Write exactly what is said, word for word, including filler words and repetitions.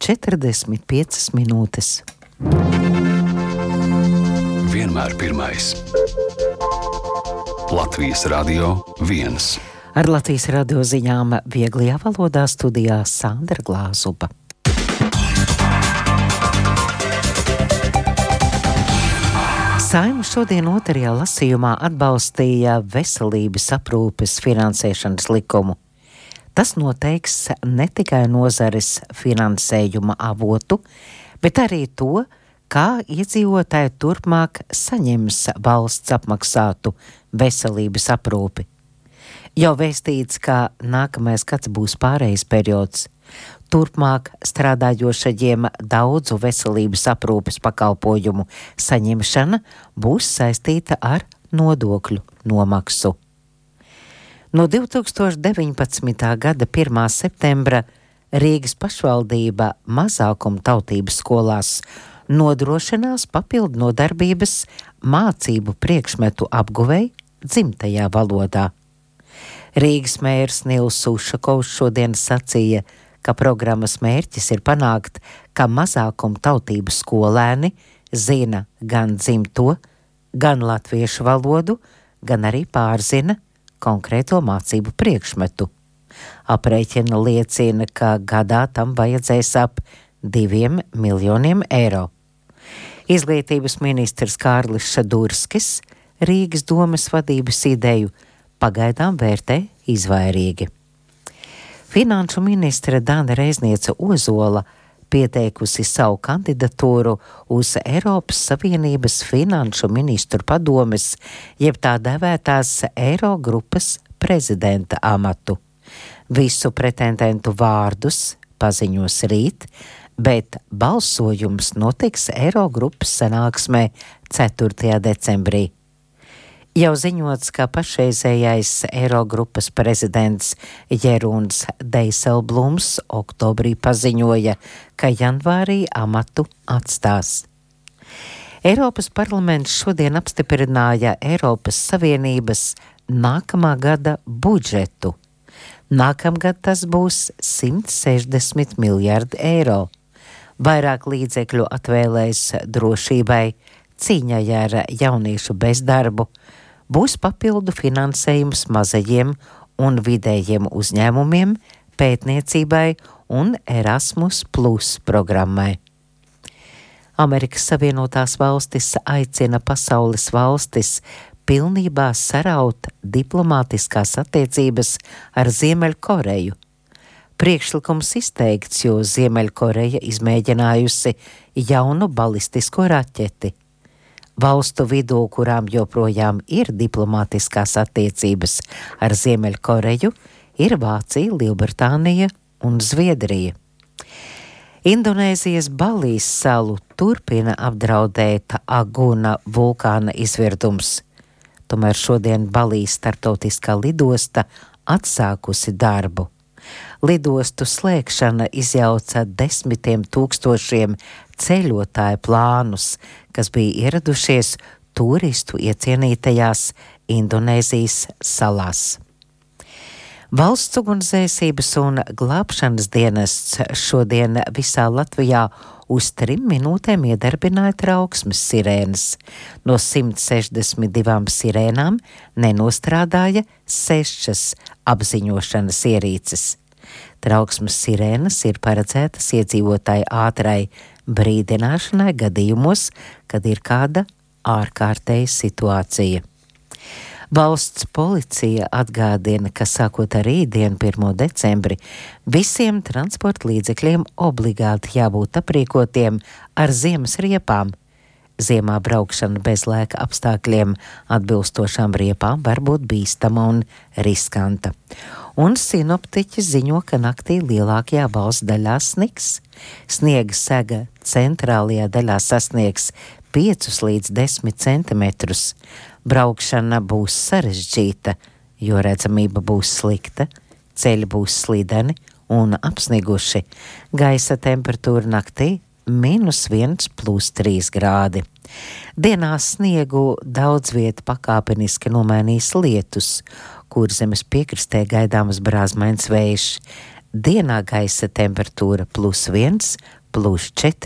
četrdesmit piecas minūtes. Vienmēr pirmais. Latvijas Radio viens. Ar Latvijas radio ziņām vieglajā valodā studijā Sandra Glāzupa. Saeima šodien otrajā lasījumā atbalstīja veselības aprūpes finansēšanas likumu. Tas noteiks ne tikai nozares finansējuma avotu, bet arī to, kā iedzīvotāji turpmāk saņems valsts apmaksātu veselības aprūpi. Jau vēstīts, ka nākamais gads būs pārejas periods. Turpmāk strādājošajiem daudzu veselības aprūpes pakalpojumu saņemšana būs saistīta ar nodokļu nomaksu. No divi tūkstoši deviņpadsmitā gada pirmā septembra Rīgas pašvaldība mazākuma tautības skolās nodrošinās papildu nodarbības mācību priekšmetu apguvei dzimtajā valodā. Rīgas mērs Nils Ušakovs šodien sacīja, ka programmas mērķis ir panākt, ka mazākuma tautības skolēni zina gan dzimto, gan latviešu valodu, gan arī pārzina konkrēto mācību priekšmetu. Aprēķina liecina, ka gadā tam vajadzēs ap diviem miljoniem eiro. Izglītības ministrs Kārlis Šadurskis Rīgas domes vadības ideju pagaidām vērtē izvairīgi. Finanšu ministre Dana Reizniece Ozola pieteikusi savu kandidatūru uz Eiropas Savienības finanšu ministru padomes, jeb tā dēvētās Eirogrupas prezidenta amatu. Visu pretendentu vārdus paziņos rīt, bet balsojums notiks Eirogrupas sanāksmē ceturtajā decembrī. Jau ziņots, ka pašreizējais Eirogrupas prezidents Jeruns Deiselblums oktobrī paziņoja, ka janvārī amatu atstās. Eiropas parlaments šodien apstiprināja Eiropas Savienības nākamā gada budžetu. Nākamgad tas būs simt sešdesmit miljardi eiro. Vairāk līdzekļu atvēlēs drošībai, cīņai ar jauniešu bezdarbu, būs papildu finansējums mazajiem un vidējiem uzņēmumiem, pētniecībai un Erasmus plus programmai. Amerikas Savienotās valstis aicina pasaules valstis pilnībā saraut diplomātiskās attiecības ar Ziemeļkoreju. Priekšlikums izteikts, jo Ziemeļkoreja izmēģinājusi jaunu balistisko raķeti. Valstu vidū, kurām joprojām ir diplomātiskās attiecības ar Ziemeļkoreju, ir Vācija, Lielbritānija un Zviedrija. Indonēzijas Balijas salu turpina apdraudēt Aguna vulkāna izvirdums. Tomēr šodien Balijas starptautiskā lidosta atsākusi darbu. Lidostu slēgšana izjauca desmitiem tūkstošiem ceļotāju plānus, kas bija ieradušies turistu iecienītajās Indonēzijas salās. Valsts ugunsdzēsības un glābšanas dienests šodien visā Latvijā uz trim minūtēm iedarbināja trauksmes sirēnas. No simt sešdesmit divām sirēnām nenostrādāja sešas apziņošanas ierīces. Trauksmes sirēnas ir paredzētas iedzīvotāju ātrai brīdināšanai gadījumos, kad ir kāda ārkārtēja situācija. Valsts policija atgādina, ka sākot ar rītdienu pirmo decembri visiem transporta līdzekļiem obligāti jābūt aprīkotiem ar ziemas riepām. Ziemā braukšana bez laika apstākļiem atbilstošām riepām var būt bīstama un riskanta. Un sinoptiķi ziņo, ka naktī lielākajā valsts daļā sniks. Sniega sega centrālajā daļā sasniegs piecus līdz desmit centimetrus. Braukšana būs sarežģīta, jo redzamība būs slikta, ceļi būs slideni un apsniguši. Gaisa temperatūra naktī mīnus viens plus trīs grādi. Dienā sniegu daudz vieta pakāpeniski nomainīs lietus, kur zemes piekrastē gaidāmas brāzmains vējš. dienā gaisa temperatūra plus viens, plus četri.